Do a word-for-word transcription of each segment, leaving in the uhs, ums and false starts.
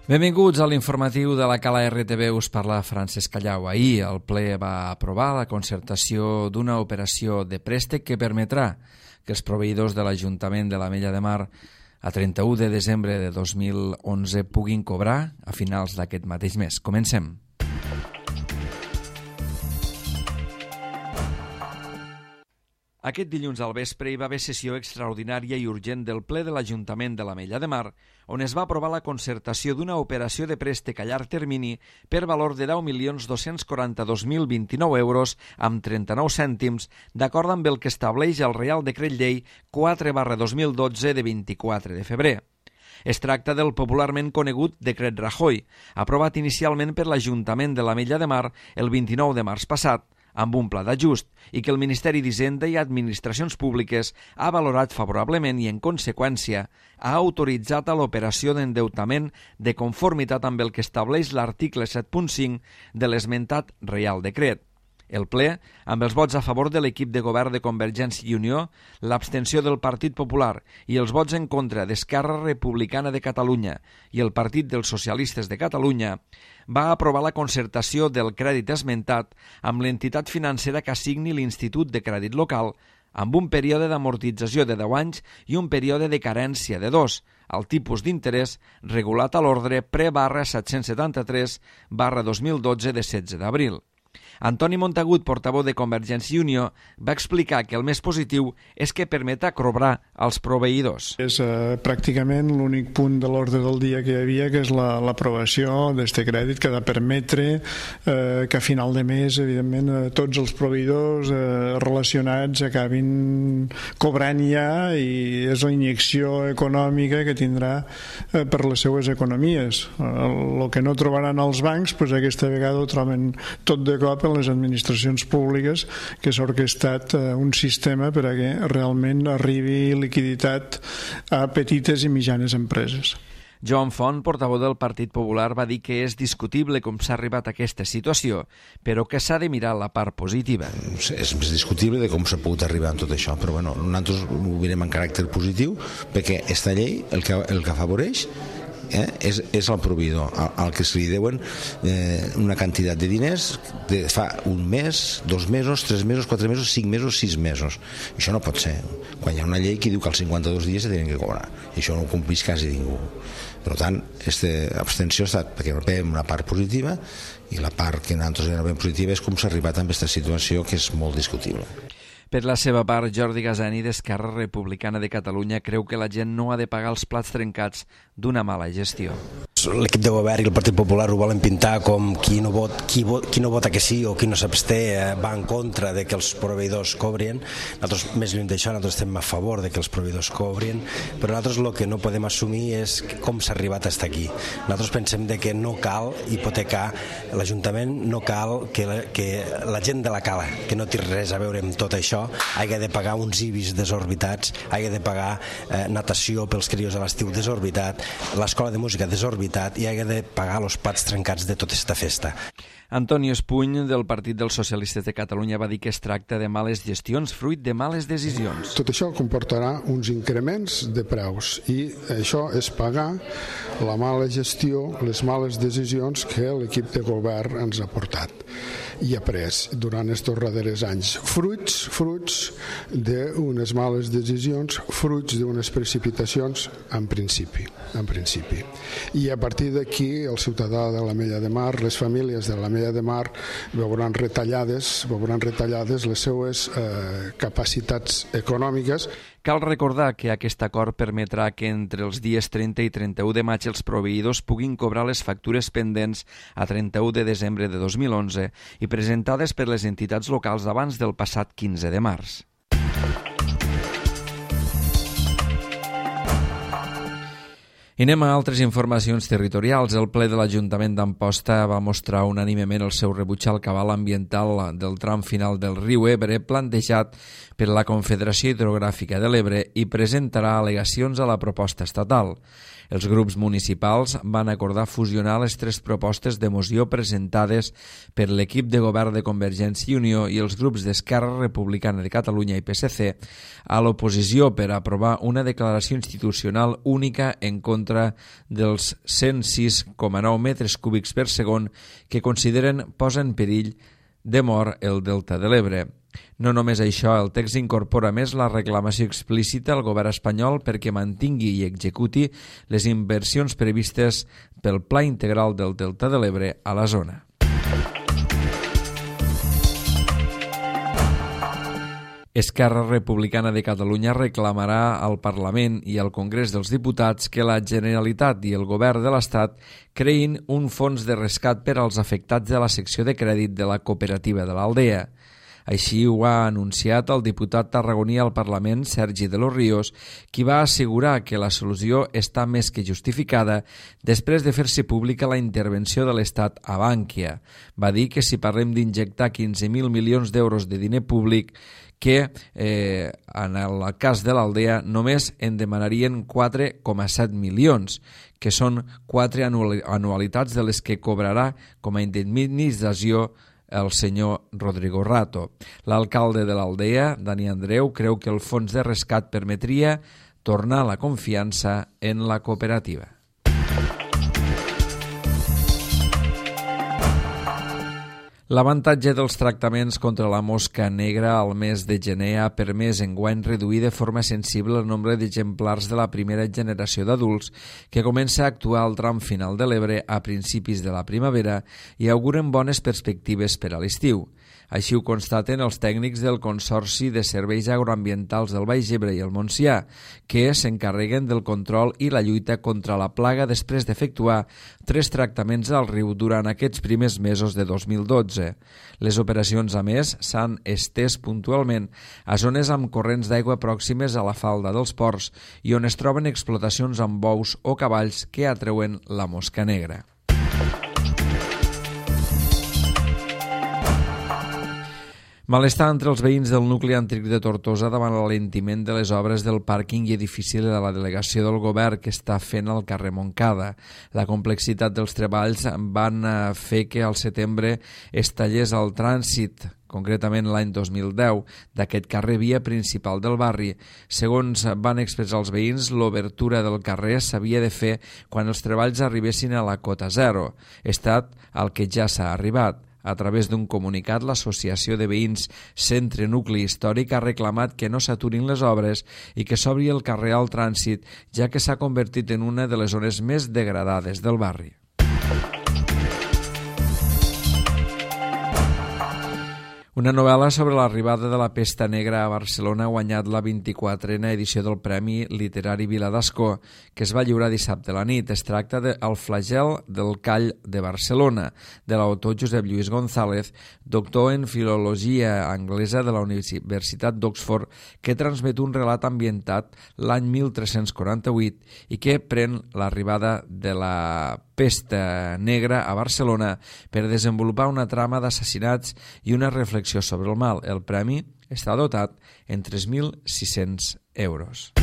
Benvinguts a l'informatiu de la Cala R T V, us parla Francesc Callau. Ahir el ple va aprovar la concertació d'una operació de préstec que permetrà que els proveïdors de l'Ajuntament de l'Ametlla de Mar a trenta-u de desembre de dos mil onze puguin cobrar a finals d'aquest mateix mes. Comencem. Aquest dilluns al vespre hi va haver sessió extraordinària i urgent del ple de l'Ajuntament de l'Ametlla de Mar, on es va aprovar la concertació d'una operació de préstec a llarg termini per valor de deu milions dos-cents quaranta-dos mil vint-i-nou euros amb trenta-nou cèntims, d'acord amb el que estableix el Reial Decret Llei quatre barra dos mil dotze de vint-i-quatre de febrer. Es tracta del popularment conegut Decret Rajoy, aprovat inicialment per l'Ajuntament de l'Ametlla de Mar el vint-i-nou de març passat, amb un pla d'ajust, i que el Ministeri d'Hisenda i Administracions Públiques ha valorat favorablement i, en conseqüència, ha autoritzat a l'operació d'endeutament de conformitat amb el que estableix l'article set punt cinc de l'esmentat Reial Decret. El ple, amb els vots a favor de l'equip de govern de Convergència i Unió, l'abstenció del Partit Popular i els vots en contra d'Esquerra Republicana de Catalunya i el Partit dels Socialistes de Catalunya, va aprovar la concertació del crèdit esmentat amb l'entitat financera que assigni l'Institut de Crèdit Local, amb un període d'amortització de deu anys i un període de carència de dos, al tipus d'interès regulat a l'ordre pre barra set-cents setanta-tres barra dos mil dotze de setze d'abril. Antoni Montagut, portaveu de Convergència i Unió, va explicar que el més positiu és que permeta cobrar als proveïdors. És eh, pràcticament l'únic punt de l'ordre del dia que hi havia, que és l'aprovació la, d'aquest crèdit, que ha de permetre eh, que a final de mes, evidentment, eh, tots els proveïdors eh, relacionats acabin cobrant ja, i és la injecció econòmica que tindrà eh, per les seues economies. El eh, que no trobaran els bancs, doncs aquesta vegada ho troben tot de cop en les administracions públiques, que s'ha orquestat eh, un sistema per a que realment arribi liquiditat a petites i mitjanes empreses. Joan Font, portaveu del Partit Popular, va dir que és discutible com s'ha arribat a aquesta situació, però que s'ha de mirar la part positiva. És més discutible de com s'ha pogut arribar a tot això, però bueno, nosaltres ho mirem en caràcter positiu, perquè aquesta llei el que, el que afavoreix Eh, és, és el proveïdor, al, al que se li deuen eh, una quantitat de diners de fa un mes, dos mesos, tres mesos, quatre mesos, cinc mesos, sis mesos. Això no pot ser, quan hi ha una llei que diu que als cinquanta-dos dies se tenen que cobrar, i això no ho compleix quasi ningú. Per tant, aquesta abstenció ha estat perquè veiem una part positiva, i la part que nosaltres veiem positiva és com s'ha arribat a aquesta situació, que és molt discutible. Per la seva part, Jordi Gasani, d'Esquerra Republicana de Catalunya, creu que la gent no ha de pagar els plats trencats d'una mala gestió. L'equip de govern i el Partit Popular ho volen pintar com qui no, vot, qui, vot, qui no vota que sí o qui no s'absté eh, va en contra de que els proveïdors cobrin. Nosaltres, més lluny d'això, nosaltres estem a favor de que els proveïdors cobrin, però nosaltres el que no podem assumir és com s'ha arribat fins aquí. Nosaltres pensem de que no cal hipotecar l'Ajuntament, no cal que la, que la gent de la Cala, que no té res a veure amb tot això, hagi de pagar uns I B I S desorbitats, hagi de pagar eh, natació pels crios a l'estiu desorbitat, l'escola de música desorbitat, i hagi de pagar els plats trencats de tota aquesta festa. Antoni Espuny, del Partit dels Socialistes de Catalunya, va dir que es tracta de males gestions fruit de males decisions. Tot això comportarà uns increments de preus, i això és pagar la mala gestió, les males decisions que l'equip de govern ens ha portat i ha pres durant aquests darrers anys. Fruits, fruits d'unes males decisions, fruits d'unes precipitacions en principi, en principi. I a partir d'aquí el ciutadà de l'Ametlla de Mar, les famílies de l'Ametlla de Mar veuran retallades, veuran retallades les seues eh, capacitats econòmiques. Cal recordar que aquest acord permetrà que entre els dies trenta i trenta-u de maig els proveïdors puguin cobrar les factures pendents a trenta-u de desembre de dos mil onze i presentades per les entitats locals abans del passat quinze de març. I anem a altres informacions territorials. El ple de l'Ajuntament d'Amposta va mostrar unànimement el seu rebuig al cabal ambiental del tram final del riu Ebre plantejat per la Confederació Hidrogràfica de l'Ebre i presentarà al·legacions a la proposta estatal. Els grups municipals van acordar fusionar les tres propostes de moció presentades per l'equip de govern de Convergència i Unió i els grups d'Esquerra Republicana de Catalunya i P S C a l'oposició per aprovar una declaració institucional única en contra contra dels cent sis coma nou metres cúbics per segon que consideren posa en perill de mort el delta de l'Ebre. No només això, el text incorpora més la reclamació explícita al govern espanyol perquè mantingui i executi les inversions previstes pel Pla Integral del Delta de l'Ebre a la zona. Esquerra Republicana de Catalunya reclamarà al Parlament i al Congrés dels Diputats que la Generalitat i el Govern de l'Estat creïn un fons de rescat per als afectats de la secció de crèdit de la cooperativa de l'Aldea. Així ho ha anunciat el diputat tarragoní al Parlament, Sergi de los Ríos, qui va assegurar que la solució està més que justificada després de fer-se pública la intervenció de l'Estat a Bànquia. Va dir que si parlem d'injectar quinze mil milions d'euros de diner públic, que eh, en el cas de l'Aldea només en demanarien quatre coma set milions, que són quatre anualitats de les que cobrarà com a indemnització el senyor Rodrigo Rato. L'alcalde de l'Aldea, Dani Andreu, creu que el fons de rescat permetria tornar la confiança en la cooperativa. L'avantatge dels tractaments contra la mosca negra al mes de gener ha permès enguany reduir de forma sensible el nombre d'exemplars de la primera generació d'adults que comença a actuar al tram final de l'Ebre a principis de la primavera i auguren bones perspectives per a l'estiu. Així ho constaten els tècnics del Consorci de Serveis Agroambientals del Baix Ebre i el Montsià, que s'encarreguen del control i la lluita contra la plaga després d'efectuar tres tractaments al riu durant aquests primers mesos de dos mil dotze. Les operacions, a més, s'han estès puntualment a zones amb corrents d'aigua pròximes a la falda dels ports i on es troben explotacions amb bous o cavalls que atreuen la mosca negra. Malestar entre els veïns del nucli antic de Tortosa davant l'alentiment de les obres del pàrquing i edifici de la delegació del govern que està fent al carrer Montcada. La complexitat dels treballs van fer que al setembre es tallés el trànsit, concretament l'any dos mil deu, d'aquest carrer via principal del barri. Segons van expressar els veïns, l'obertura del carrer s'havia de fer quan els treballs arribessin a la cota zero, estat al que ja s'ha arribat. A través d'un comunicat, l'Associació de Veïns Centre Nucli Històric ha reclamat que no s'aturin les obres i que s'obri el carrer al trànsit, ja que s'ha convertit en una de les zones més degradades del barri. Una novel·la sobre l'arribada de la pesta negra a Barcelona ha guanyat la vint-i-quatrena edició del Premi Literari Vila d'Ascó, que es va lliurar dissabte a la nit. Es tracta de El flagel del call de Barcelona, de l'autor Josep Lluís González, doctor en filologia anglesa de la Universitat d'Oxford, que transmet un relat ambientat l'any mil tres-cents quaranta-vuit i que pren l'arribada de la pesta negra a Barcelona per desenvolupar una trama d'assassinats i una reflexió sobre el mal. El premi està dotat en tres mil sis-cents euros.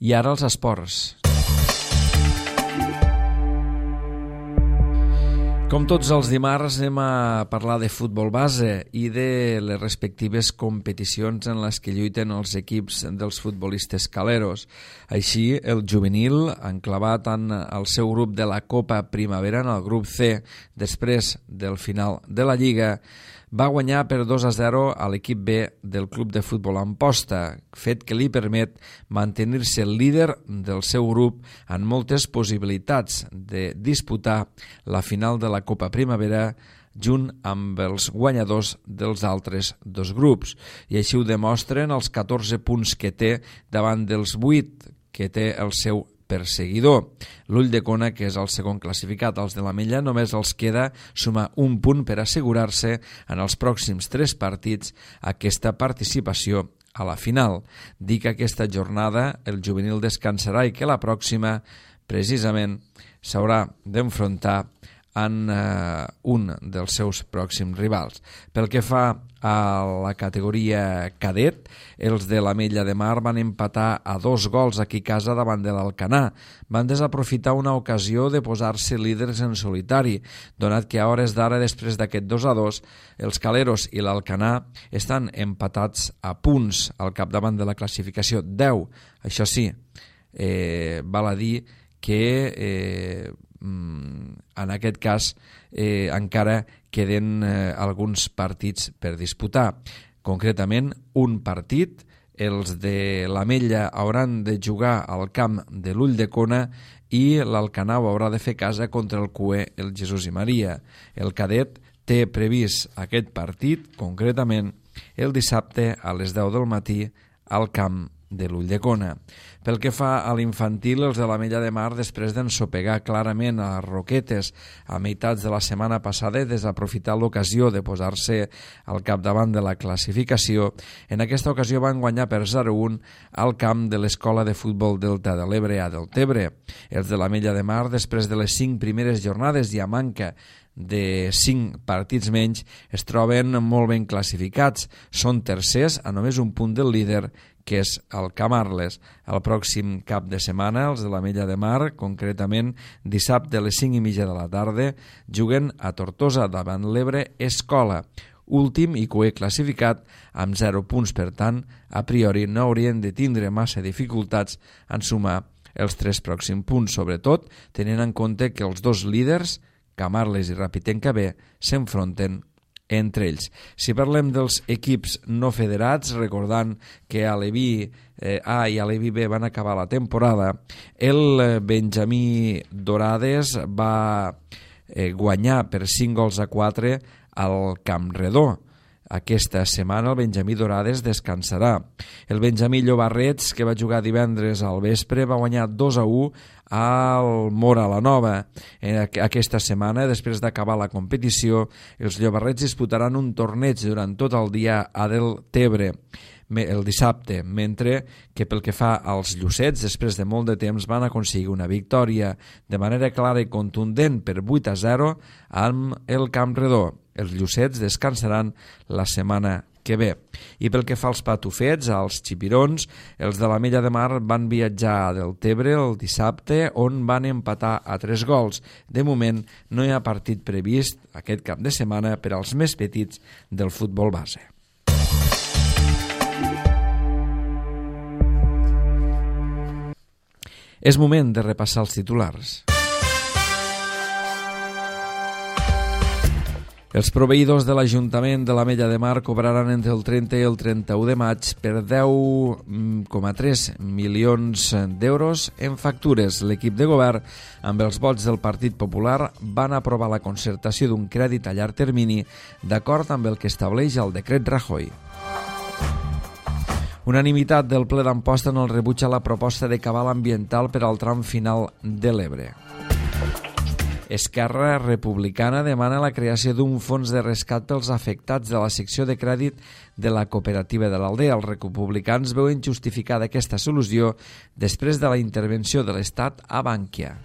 I ara els esports. Com tots els dimarts anem a parlar de futbol base i de les respectives competicions en les que lluiten els equips dels futbolistes caleros. Així, el juvenil, enclavat en el seu grup de la Copa Primavera, en el grup C, després del final de la Lliga, va guanyar per dos a zero a l'equip B del club de futbol Amposta, fet que li permet mantenir-se el líder del seu grup amb moltes possibilitats de disputar la final de la Copa Primavera junt amb els guanyadors dels altres dos grups. I així ho demostren els catorze punts que té davant dels vuit que té el seu perseguidor. L'Ull de Cona, que és el segon classificat, els de l'Ametlla, només els queda sumar un punt per assegurar-se en els pròxims tres partits aquesta participació a la final. Dic que aquesta jornada el juvenil descansarà i que la pròxima, precisament, s'haurà d'enfrontar en eh, un dels seus pròxims rivals. Pel que fa a la categoria cadet, els de l'Ametlla de Mar van empatar a dos gols aquí a casa davant de l'Alcanar. Van desaprofitar una ocasió de posar-se líders en solitari, donat que a hores d'ara, després d'aquest dos a dos, els Caleros i l'Alcanar estan empatats a punts al capdavant de la classificació, deu. Això sí, eh, val a dir que eh, en aquest cas eh, encara queden eh, alguns partits per disputar. Concretament, un partit, els de l'Ametlla hauran de jugar al camp de l'Ulldecona i l'Alcanar haurà de fer casa contra el Q E, el Jesús i Maria. El cadet té previst aquest partit, concretament, el dissabte a les deu del matí al camp de l'Ulldecona. Pel que fa a l'infantil, els de l'Ametlla de Mar, després d'ensopegar clarament a les Roquetes a meitats de la setmana passada i desaprofitar l'ocasió de posar-se al capdavant de la classificació, en aquesta ocasió van guanyar per zero a un al camp de l'Escola de Futbol Delta de l'Ebre a Deltebre. Els de l'Ametlla de Mar, després de les cinc primeres jornades i a manca de cinc partits menys, es troben molt ben classificats. Són tercers a només un punt del líder, que és el Camarles. El pròxim cap de setmana, els de l'Ametlla de Mar, concretament dissabte a les cinc i mitja de la tarda, juguen a Tortosa davant l'Ebre Escola, últim i Q E classificat amb zero punts. Per tant, a priori no haurien de tindre massa dificultats en sumar els tres pròxims punts, sobretot tenint en compte que els dos líders, Camarles i Rapitenca B, s'enfronten entre ells. Si parlem dels equips no federats, recordant que a l'Evi eh, A i a l'Evi B van acabar la temporada, el Benjamí Dorades va eh, guanyar per cinc gols a quatre al Campredó. Aquesta setmana el Benjamí Dorades descansarà. El Benjamí Llobarrets, que va jugar divendres al vespre, va guanyar dos a u al Mora la Nova. Aquesta setmana, després d'acabar la competició, els Llobarrets disputaran un torneig durant tot el dia a Deltebre el dissabte, mentre que pel que fa als Llucets, després de molt de temps van aconseguir una victòria de manera clara i contundent per vuit a zero amb el Campredó. Els Llucets descansaran la setmana que ve. I pel que fa als patufets, als xipirons, els de l'Ametlla de Mar van viatjar a Deltebre el dissabte, on van empatar a tres gols. De moment no hi ha partit previst aquest cap de setmana per als més petits del futbol base. És moment de repassar els titulars. Els proveïdors de l'Ajuntament de l'Ametlla de Mar cobraran entre el trenta i el trenta-u de maig per deu coma tres milions d'euros en factures. L'equip de govern, amb els vots del Partit Popular, van aprovar la concertació d'un crèdit a llarg termini d'acord amb el que estableix el decret Rajoy. Unanimitat del ple d'Amposta en el rebuig a la proposta de cabal ambiental per al tram final de l'Ebre. Esquerra Republicana demana la creació d'un fons de rescat pels afectats de la secció de crèdit de la cooperativa de l'Aldea. Els republicans veuen justificada aquesta solució després de la intervenció de l'Estat a Bankia.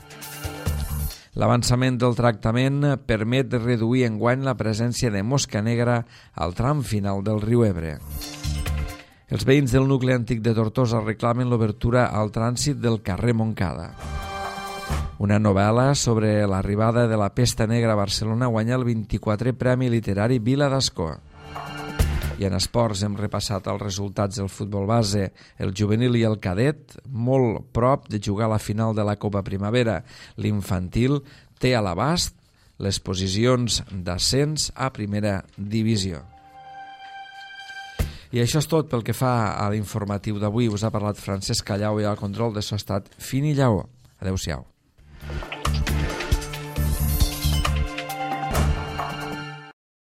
L'avançament del tractament permet reduir enguany la presència de mosca negra al tram final del riu Ebre. Els veïns del nucli antic de Tortosa reclamen l'obertura al trànsit del carrer Montcada. Una novel·la sobre l'arribada de la pesta negra a Barcelona guanya el vint-i-quatrè Premi Literari Vila d'Ascó. I en esports hem repassat els resultats del futbol base, el juvenil i el cadet, molt prop de jugar a la final de la Copa Primavera. L'infantil té a l'abast les posicions d'ascens a primera divisió. I això és tot pel que fa a l'informatiu d'avui. Us ha parlat Francesc Callau i al control de so estat Fini Lleó. Adéu-siau.